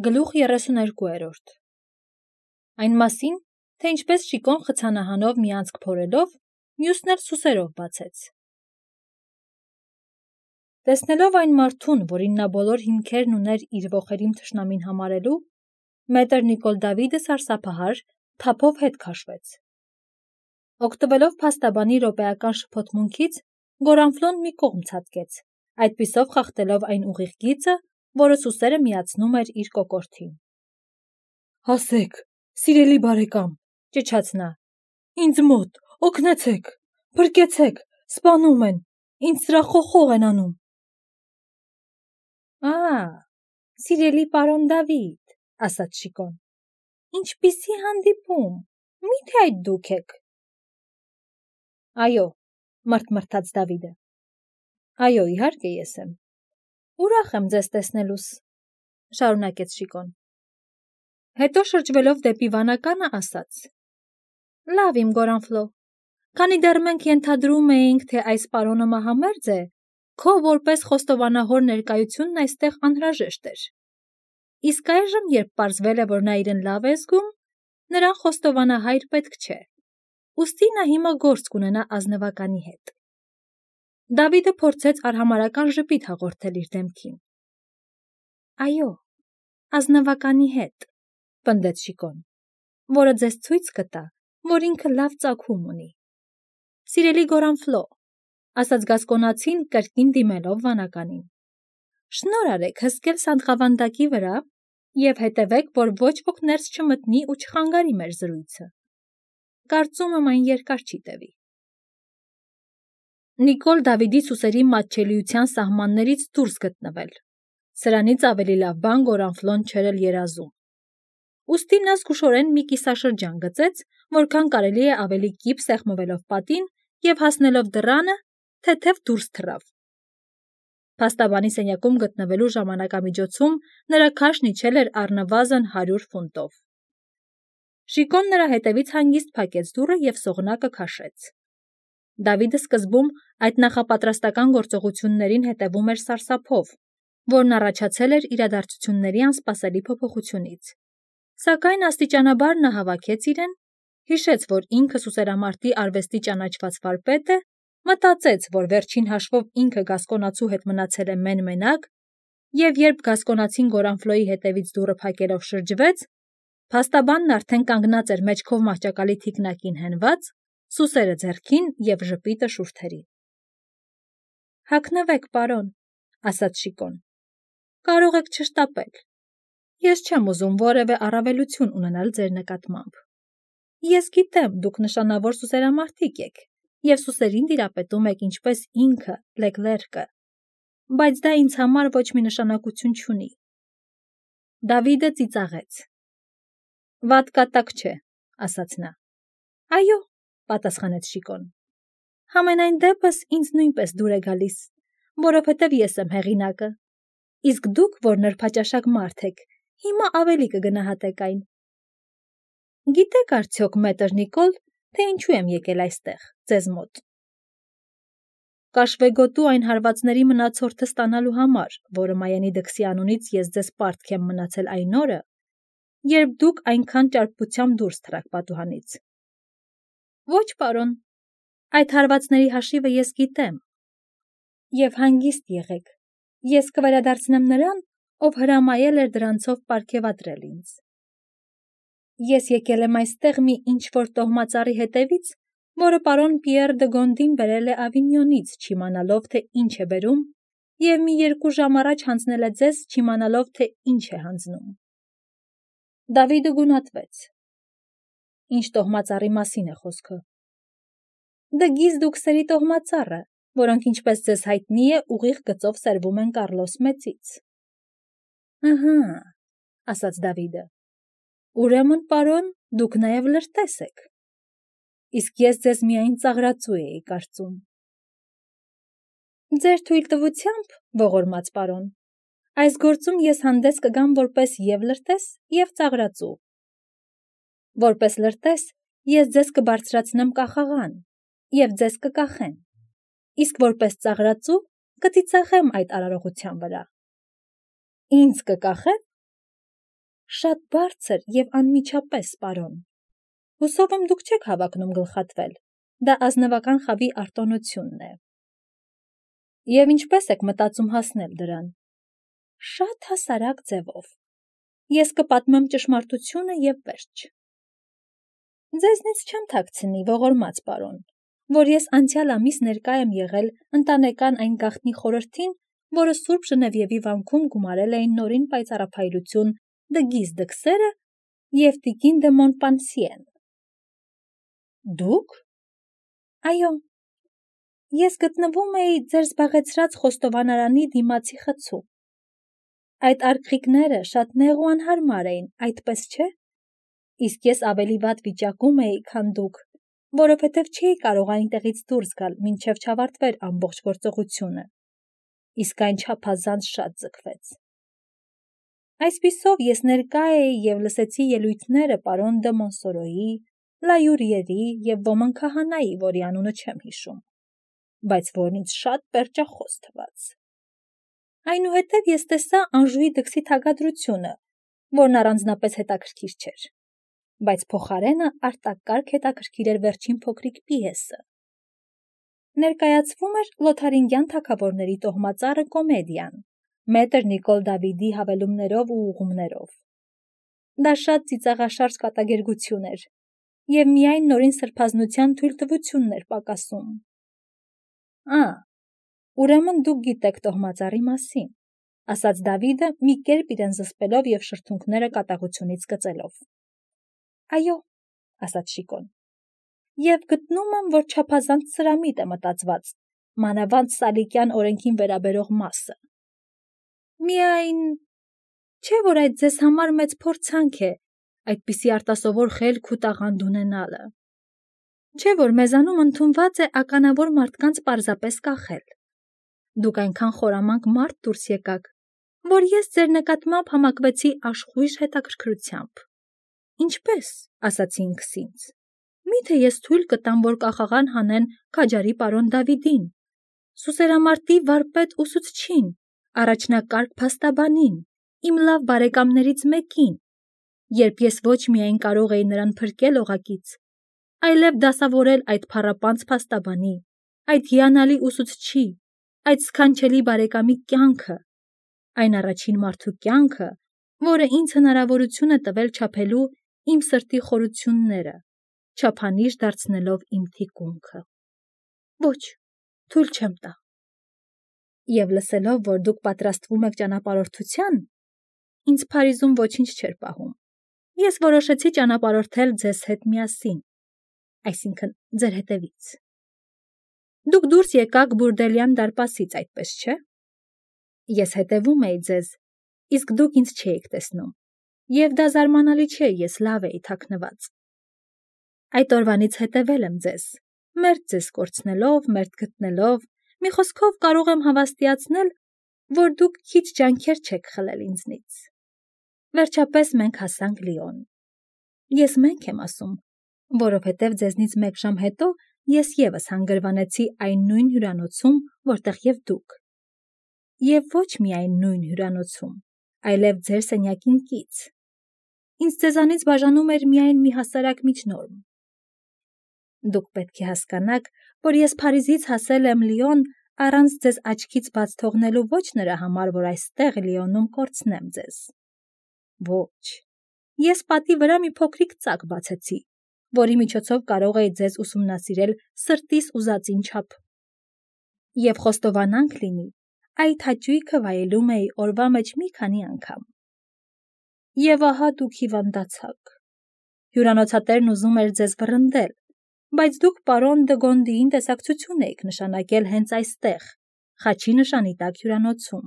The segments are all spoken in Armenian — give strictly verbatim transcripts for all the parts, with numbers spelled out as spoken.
Գլուխ երեսուներկուերորդ Այն մասին, թե ինչպես Շիկոն խցանահանով մի անցք փորելով, մյուսն էլ սուսերով բացեց։ Տեսնելով այն մարդուն, որին նա բոլոր հիմքերն ուներ իր ոխերիմ թշնամին համարելու, մետր Նիկոլ Դավիդը սարսափահար թափով հետ քաշվեց։ Օգտվելով փաստաբանի րոպեական շփոթմունքից, Գորանֆլոն մի կողմ ցատկեց, այդպիսով խախտելով այն ուղիղ գիծը, որը սուսերը միացնում էր իր կոկորդին։ «Հասեք, սիրելի բարեկամ», ճչաց նա, «ինձ մոտ, օգնեցեք, փրկեցեք, սպանում են, ինձ սրախոխող են անում»։ «Ա, սիրելի պարոն Դավիթ», ասաց Շիկոն, «ինչպիսի հանդիպում, մի՞թե այդ դուք եք»։ «Այո», մրթմրթաց Դավիդը, «այո, իհարկե ես եմ»։ «Ուրախ եմ ձեզ տեսնելուս», շարունակեց Շիկոն։ Հետո շրջվելով դեպի վանականը ասաց. «Լավ իմ Գորանֆլո, քանի դեռ մենք ենթադրում էինք, թե այս պարոնը մահամերձ է, քո որպես խոստովանահոր ներկայությունն այստեղ անհրաժեշտ էր։ Իսկ այժմ, երբ պարզվել է, որ նա իրեն լավ է զգում, նրան խոստովանահայր պետք չէ, ուստի նա հիմա գործ կունենա ազնվականի հետ»։ Դավիդը փորձեց արհամարհական ժպիտ հաղորդել իր դեմքին։ «Այո, ազնվականի հետ», պնդեց Շիկոն, «որը ձեզ ցույց կտա, որ ինքը լավ ծագում ունի»։ «Սիրելի Գորանֆլո», ասաց գասկոնացին կրկին դիմելով վանականին, «շնորհ արեք հսկել սանդղավանդակի վրա և հետևեք, որ ոչ ոք ներս չմտնի ու չխանգարի մեր զրույցը։ Կարծում եմ այն երկար չի տևի»։ Նիկոլ Դավիդի սուսերի մատչելիության սահմաններից դուրս գտնվել։ Սրանից ավելի լավ բան Գորանֆլոն չէր էլ երազում։ Ուստի նա զգուշորեն մի կիսաշրջան գծեց, որքան կարելի է ավելի կիպ սեղմվելով պատին և հասնելով դռանը, թեթև դուրս թռավ։ Փաստաբանի սենյակում գտնվելու ժամանակամիջոցում նրա քաշն իջել էր առնվազն հարյուր ֆունտով։ Շիկոն նրա հետևից հանգիստ փակեց դուռը և սողնակը քաշեց։ Դավիդը սկզբում այդ նախապատրաստական գործողություններին հետևում էր սարսափով, որն առաջացել էր իրադարձությունների անսպասելի փոփոխությունից։ Սակայն աստիճանաբար նա հավաքեց իրեն, հիշեց, որ ինքը սուսերամարտի արվեստի ճանաչված վարպետ է, մտածեց, որ վերջին հաշվով ինքը գասկոնացու հետ մնացել է մեն-մենակ, և երբ գասկոնացին Գորանֆլոյի հետևից դուռը փակելով շրջվեց, փաստաբանն արդեն կանգնած էր մեջքով մահճակալի թիկնակին հենված, սուսերը ձեռքին և ժպիտը շուրթերին։ «Հագնվեք, պարոն», ասաց Շիկոն, «կարող եք չշտապել։ Ես չեմ ուզում որևէ առավելություն ունենալ ձեր նկատմամբ։ Ես գիտեմ, դուք նշանավոր սուսերամարտիկ եք և սուսերին տիրապետում եք ինչպես ինքը Լեկլերկը, բայց դա ինձ համար ոչ մի նշանակություն չունի»։ Դավիդը ծիծաղեց։ «Վատ կատակ չէ», ասաց նա։ «Այո», պատասխանեց Շիկոն, «համենայն դեպս ինձ նույնպես դուր է գալիս, որովհետև ես եմ հեղինակը, իսկ դուք, որ նրբաճաշակ մարդ եք, հիմա ավելի կգնահատեք այն։ Գիտեք արդյոք, մետր Նիկոլ, թե ինչու եմ եկել այստեղ, ձեզ մոտ։ Կաշվեգոտու այն հարվածների մնացորդը ստանալու համար, որը Մայենի դքսի անունից ես ձեզ պարտք եմ մնացել այն օրը, երբ դուք այնքան ճարպկությամբ դուրս թռաք պատուհանից։ Ոչ, պարոն, այդ հարվածների հաշիվը ես գիտեմ։ Եվ հանգիստ եղեք, ես կվերադարձնեմ նրան, ով հրամայել էր դրանցով պարգևատրել ինձ։ Ես եկել եմ այստեղ մի ինչ-որ տոհմածառի հետևից, որը պարոն Պիեռ դը Գոնդին բերել է Ավինյոնից, չիմանալով, թե ինչ է բերում, և մի երկու ժամ առաջ հանձնել է ձեզ, չիմանալով, թե ինչ է հանձնում։ Դավիդը գունատվեց։ Ինչ տոհմածառի մասին է խոսքը։ Դե գիզդուկսերի տոհմածառը, որոնք, ինչպես ձեզ հայտնի է, ուղիղ գծով սերվում են Կառլոս Մեծից։ Ըհը, ասաց Դավիդը, ուրեմն, պարոն, դուք նաև լրտես եք։ Իսկ ես ձեզ միայն ծաղրածու էի կարծում։ Ձեր թույլտվությամբ, ողորմած պարոն, այս գործում ես հանդես կգամ որպես և լրտես, և ծաղրածու։ Որպես լրտես ես ձեզ կբարձրացնեմ կախաղան, և ձեզ կկախեն, իսկ որպես ծաղրածու կծիծաղեմ այդ արարողության վրա։ Ինձ կկախե՞ն։ Շատ բարձր և անմիջապես, պարոն։ Հուսով եմ դուք չեք հավակնում գլխատվել, դա ազնվական խավի արտոնությունն է։ Եվ ինչպես եք մտածում հասնել դրան։ Շատ հասարակ ձևով։ Ես կպատմեմ ճշմարտությունը և վերջ։ Ձեզնից չեմ թաքցնի, ողորմած պարոն, որ ես անցյալ ամիս ներկա եմ եղել ընտանեկան այն գաղտնի խորհրդին, որը Սուրբ Ժնևիևի վանքում գումարել էին նորին պայծառափայլություն Դգիզ Դքսերը և տիկին դը Մոնպանսիեն։ Դուք։ Այո։ Ես գտնվում էի ձեր զբաղեցրած խոստովանարանի դիմացի խցու։ Այդ արգղիկները շատ նեղ ու անհարմար էին, այդպես չէ՞։ Իսկ ես ավելի վատ վիճակում էի, քան դուք, որովհետև չէի կարող այնտեղից դուրս գալ, մինչև չավարտվեր ամբողջ գործողությունը։ Իսկ այն չափազանց շատ ձգվեց։ Այսպիսով ես ներկա էի և լսեցի ելույթները պարոն դը Մոնսորոյի, Լայուրիերի և ոմն քահանայի, որի անունը չեմ հիշում, բայց որն ինձ շատ պերճախոս թվաց։ Այնուհետև ես տեսա Անժուի դքսի թագադրությունը, որն առանձնապես հետաքրքիր չէր, բայց փոխարենը արտակարգ հետաքրքիր էր վերջին փոքրիկ պիեսը։ Ներկայացվում էր Լոթարինգյան թագավորների տոհմածառը կոմեդիան, մետր Նիկոլ Դավիդի հավելումներով ու ուղումներով։ Դա շատ ծիծաղաշարժ կատակերգություն էր, և միայն նորին սրբազնության թույլտվությունն էր պակասում։ Ա, ուրեմն դուք գիտեք տոհմածառի մասին, ասաց Դավիդը մի կերպ իրեն զսպելով և շրթունքները կատաղությունից կծելով։ Այո, ասաց Շիկոն, և գտնում եմ, որ չափազանց սրամիտ է մտածված, մանավանդ Սալիկյան օրենքին վերաբերող մասը։ Միայն, չէ՞ որ այդ ձեզ համար մեծ փորձանք է, այդպիսի արտասովոր խելք ու տաղանդ ունենալը։ Չէ՞ որ մեզանում ընդունված է ականավոր մարդկանց պարզապես կախել։ Դուք այնքան խորամանկ մարդ դուրս եկաք, որ ես ձեր նկատմամբ համակվեցի աշխույժ հետաքրքրությամբ։ Ինչպե՞ս, ասացի ինքս ինձ։ Մի՞թե ես թույլ կտամ, որ կախաղան հանեն քաջարի պարոն Դավիդին, սուսերամարտի վարպետ ուսուցչին, առաջնակարգ փաստաբանին, իմ լավ բարեկամներից մեկին, երբ ես ոչ միայն կարող էի նրան փրկել օղակից, այլև դասավորել այդ փառապանծ փաստաբանի, այդ հիանալի ուսուցչի, այդ սքանչելի բարեկամի կյանքը, այն առաջին մարդու կյանքը, որը ինձ հնարավորություն է տվել չափելու իմ սրտի խորությունները, չափանիշ դարձնելով իմ թիկունքը։ Ոչ, թույլ չեմ տա։ Եվ լսելով, որ դուք պատրաստվում եք ճանապարհորդության, ինձ Փարիզում ոչինչ չէր պահում։ Ես որոշեցի ճանապարհորդել ձեզ հետ միասին, այսինքն ձեր հետևից։ Դուք դուրս եկաք Բուրդելյան դարպասից, այդպես չէ՞։ Ես հետևում էի ձեզ, իսկ դուք ինձ չէիք տեսնում, և դա զարմանալի չէ, ես լավ էի թաքնված։ Այդ օրվանից հետևել եմ ձեզ, մերթ ձեզ կորցնելով, մերթ գտնելով, մի խոսքով կարող եմ հավաստիացնել, որ դուք քիչ ջանքեր չեք խլել ինձնից։ Վերջապես մենք հասանք Լիոն։ Ես մենք եմ ասում, որովհետև ձեզնից մեկ ժամ հետո ես ևս հանգրվանեցի այն նույն հյուրանոցում, որտեղ և դուք։ Եվ ոչ միայն նույն հյուրանոցում, այլև ձեր սենյակին կից։ Ինձ ձեզանից բաժանում էր միայն մի հասարակ միջնորմ։ Դուք պետք է հասկանաք, որ ես Փարիզից հասել եմ Լիոն առանց ձեզ աչքից բաց թողնելու ոչ նրա համար, որ այստեղ Լիոնում կորցնեմ ձեզ։ Ոչ, ես պատի վրա մի փոքրիկ ծակ բացեցի, որի միջոցով կարող էի ձեզ ուսումնասիրել սրտիս ուզածին չափ։ Եվ խոստովանանք լինի, այդ հաճույքը վայելում էի օրվա մեջ մի քանի անգամ։ Եվ ահա դուք հիվանդացաք։ Հյուրանոցատերն ուզում էր ձեզ վռնդել, բայց դուք պարոն դը Գոնդիին տեսակցություն էիք նշանակել հենց այստեղ, խաչի նշանի տակ հյուրանոցում։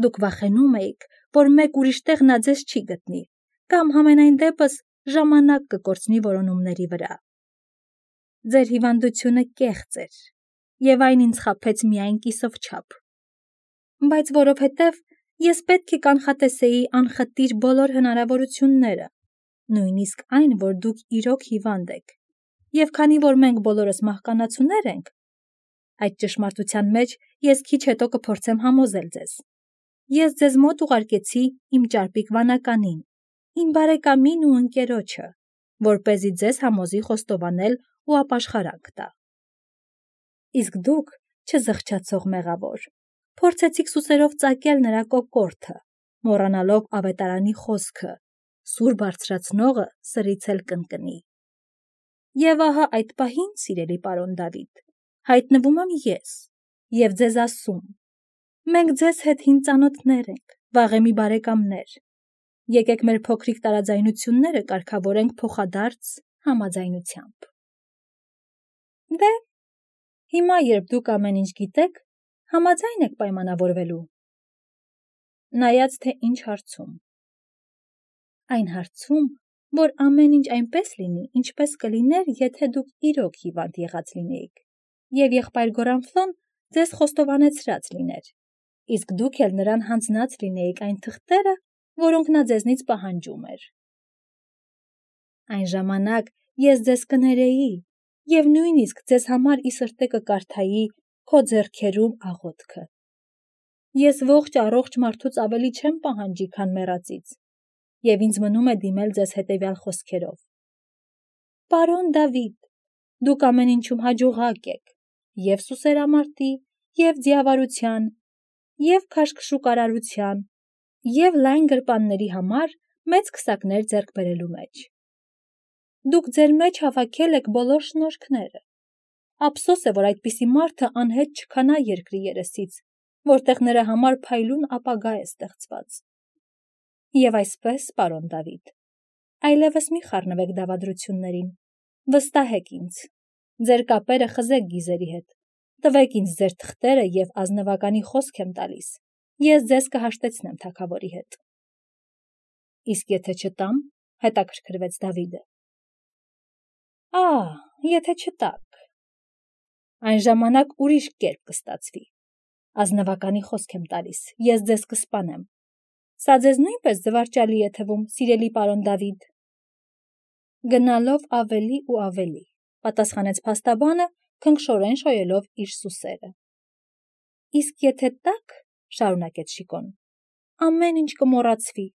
Դուք վախենում էիք, որ մեկ ուրիշ տեղ նա ձեզ չի գտնի, կամ համենայն դեպս ժամանակ կկորցնի որոնումների վրա։ Ձեր հիվանդությունը կեղծ էր, և այն ինձ խաբեց միայն կիսով չափ։ Բայց որովհետև ես պետք է կանխատեսեի անխտիր բոլոր հնարավորությունները, նույնիսկ այն, որ դուք իրոք հիվանդ եք, և քանի որ մենք բոլորս մահկանացուներ ենք, այդ ճշմարտության մեջ ես քիչ հետո կփորձեմ համոզել ձեզ։ ես ձեզ մոտ ուղարկեցի իմ ճարպիկ վանականին, իմ բարեկամին ու ընկերոջը, որպեսզի ձեզ համոզի խոստովանել ու ապաշխարանք տա։ Իսկ դուք, չզղջացող մեղավոր, փորձեցիք սուսերով ծակել նրա կոկորդը, մոռանալով ավետարանի խոսքը, սուր բարձրացնողը սրից էլ կընկնի։ Եվ ահա այդ պահին, սիրելի պարոն Դավիթ, հայտնվում եմ ես և ձեզ ասում. մենք ձեզ հետ հին ծանոթներ ենք, վաղեմի բարեկամներ, եկեք մեր փոքրիկ տարաձայնությունները կարգավորենք փոխադարձ համաձայնությամբ։ Դե, հիմա երբ դուք ամեն ինչ գիտեք, համաձայն եք պայմանավորվելու։ Նայած թե ինչ հարցում։ Այն հարցում, որ ամեն ինչ այնպես լինի, ինչպես կլիներ, եթե դուք իրոք հիվանդ եղած լինեիք, և եղբայր Գորանֆլոն ձեզ խոստովանեցրած լիներ, իսկ դուք էլ նրան հանձնած լինեիք այն թղթերը, որոնք նա ձեզնից պահանջում էր։ Այն ժամանակ ես ձեզ կներեի և նույնիսկ ձեզ համար ի սրտե կկարդայի քո ձեռքերում աղոթքը։ Ես ողջ առողջ մարդուց ավելի չեմ պահանջի, քան մեռածից, և ինձ մնում է դիմել ձեզ հետևյալ խոսքերով. Պարոն Դավիթ, դուք ամեն ինչում հաջողակ եք, և սուսերամարտի, և ձիավարության, և քաշքշուկարարության, և լայն գրպանների համար մեծ քսակներ ձեռք բերելու մեջ։ Դուք ձեր մեջ հավաքել եք բոլոր շնորհքները։ Ափսոս է, որ այդպիսի մարդը անհետ չքանա երկրի երեսից, որտեղ նրա համար փայլուն ապագա է ստեղծված։ Եվ այսպես, պարոն Դավիթ, այլևս մի խառնվեք դավադրություններին, վստահեք ինձ, ձեր կապերը խզեք գիզերի հետ, տվեք ինձ ձեր թղթերը և ազնվականի խոսք եմ տալիս, ես ձեզ կհաշտեցնեմ թագավորի հետ։ Իսկ եթե չտամ, հետաքրքրվեց Դավիթը։ Ահ, եթե չտաք, այն ժամանակ ուրիշ կերպ կստացվի, ազնվականի խոսք եմ տալիս, ես ձեզ կսպանեմ։ Սա ձեզ նույնպես զվարճալի է թվում, սիրելի պարոն Դավիթ։ Գնալով ավելի ու ավելի, պատասխանեց փաստաբանը, քնքշորեն շոյելով իր սուսերը։ Իսկ եթե տաք, շարունակեց Շիկոն, ամեն ինչ կմոռացվի։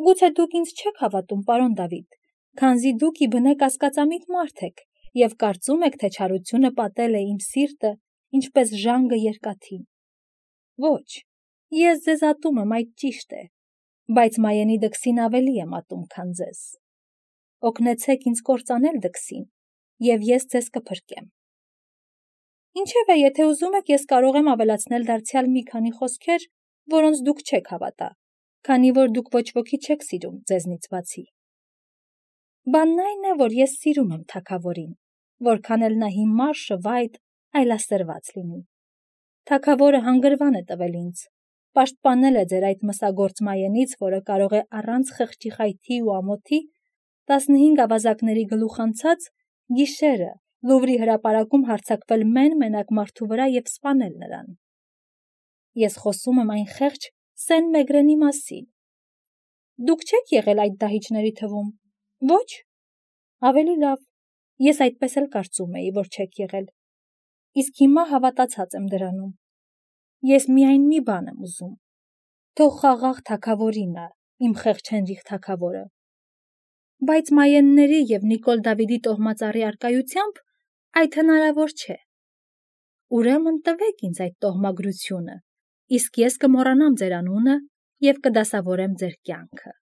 Գուցե դուք ինձ չեք հավատում, պարոն Դավիթ, քանզի դուք ի բնե կասկածամիտ մարդ եք և կարծում եք, թե չարությունը պատել է իմ սիրտը, ինչպես ժանգը երկաթին։ Ոչ, ես ձեզ ատում եմ, այդ ճիշտ է, բայց Մայենի դքսին ավելի եմ ատում, քան ձեզ։ Օգնեցեք ինձ կործանել դքսին, և ես ձեզ կփրկեմ։ Ինչևէ, եթե ուզում եք, ես կարող եմ ավելացնել դարձյալ մի քանի խոսքեր, որոնց դուք չեք հավատա, քանի որ դուք ոչ ոքի չեք սիրում ձեզնից բացի։ Բանն այն է, որ ես սիրում եմ թագավորին, որքան էլ նա հիմար, շվայտ, այլասերված լինի։ Թագավորը հանգրվան է տվել ինձ, պաշտպանել է ձեր այդ մսագործ Մայենից, որը կարող է առանց խղճի խայթի ու ամոթի տասնհինգ ավազակների գլուխ անցած գիշերը Լուվրի հրապարակում հարձակվել մեն-մենակ մարդու վրա և սպանել նրան։ Ես խոսում եմ այն խեղճ Սեն-Մեգրենի մասին։ Դուք չեք եղել այդ դահիճների թվում։ Ոչ։ Ավելի լավ, ես այդպես էլ կարծում էի, որ չեք եղել։ Իսկ հիմա հավատացած եմ դրանում։ Ես միայն մի բան եմ ուզում։ Թող խաղաղ թագավորինը, իմ խեղճ Հենրիխ թագավորը։ Բայց Մայենների և Նիկոլ Դավիդի տոհմածառի առկայությամբ այդ հնարավոր չէ։ Ուրեմն տվեք ինձ այդ տոհմագրությունը, իսկ ես կմոռանամ ձեր անունը և կդասավորեմ ձեր կյանքը։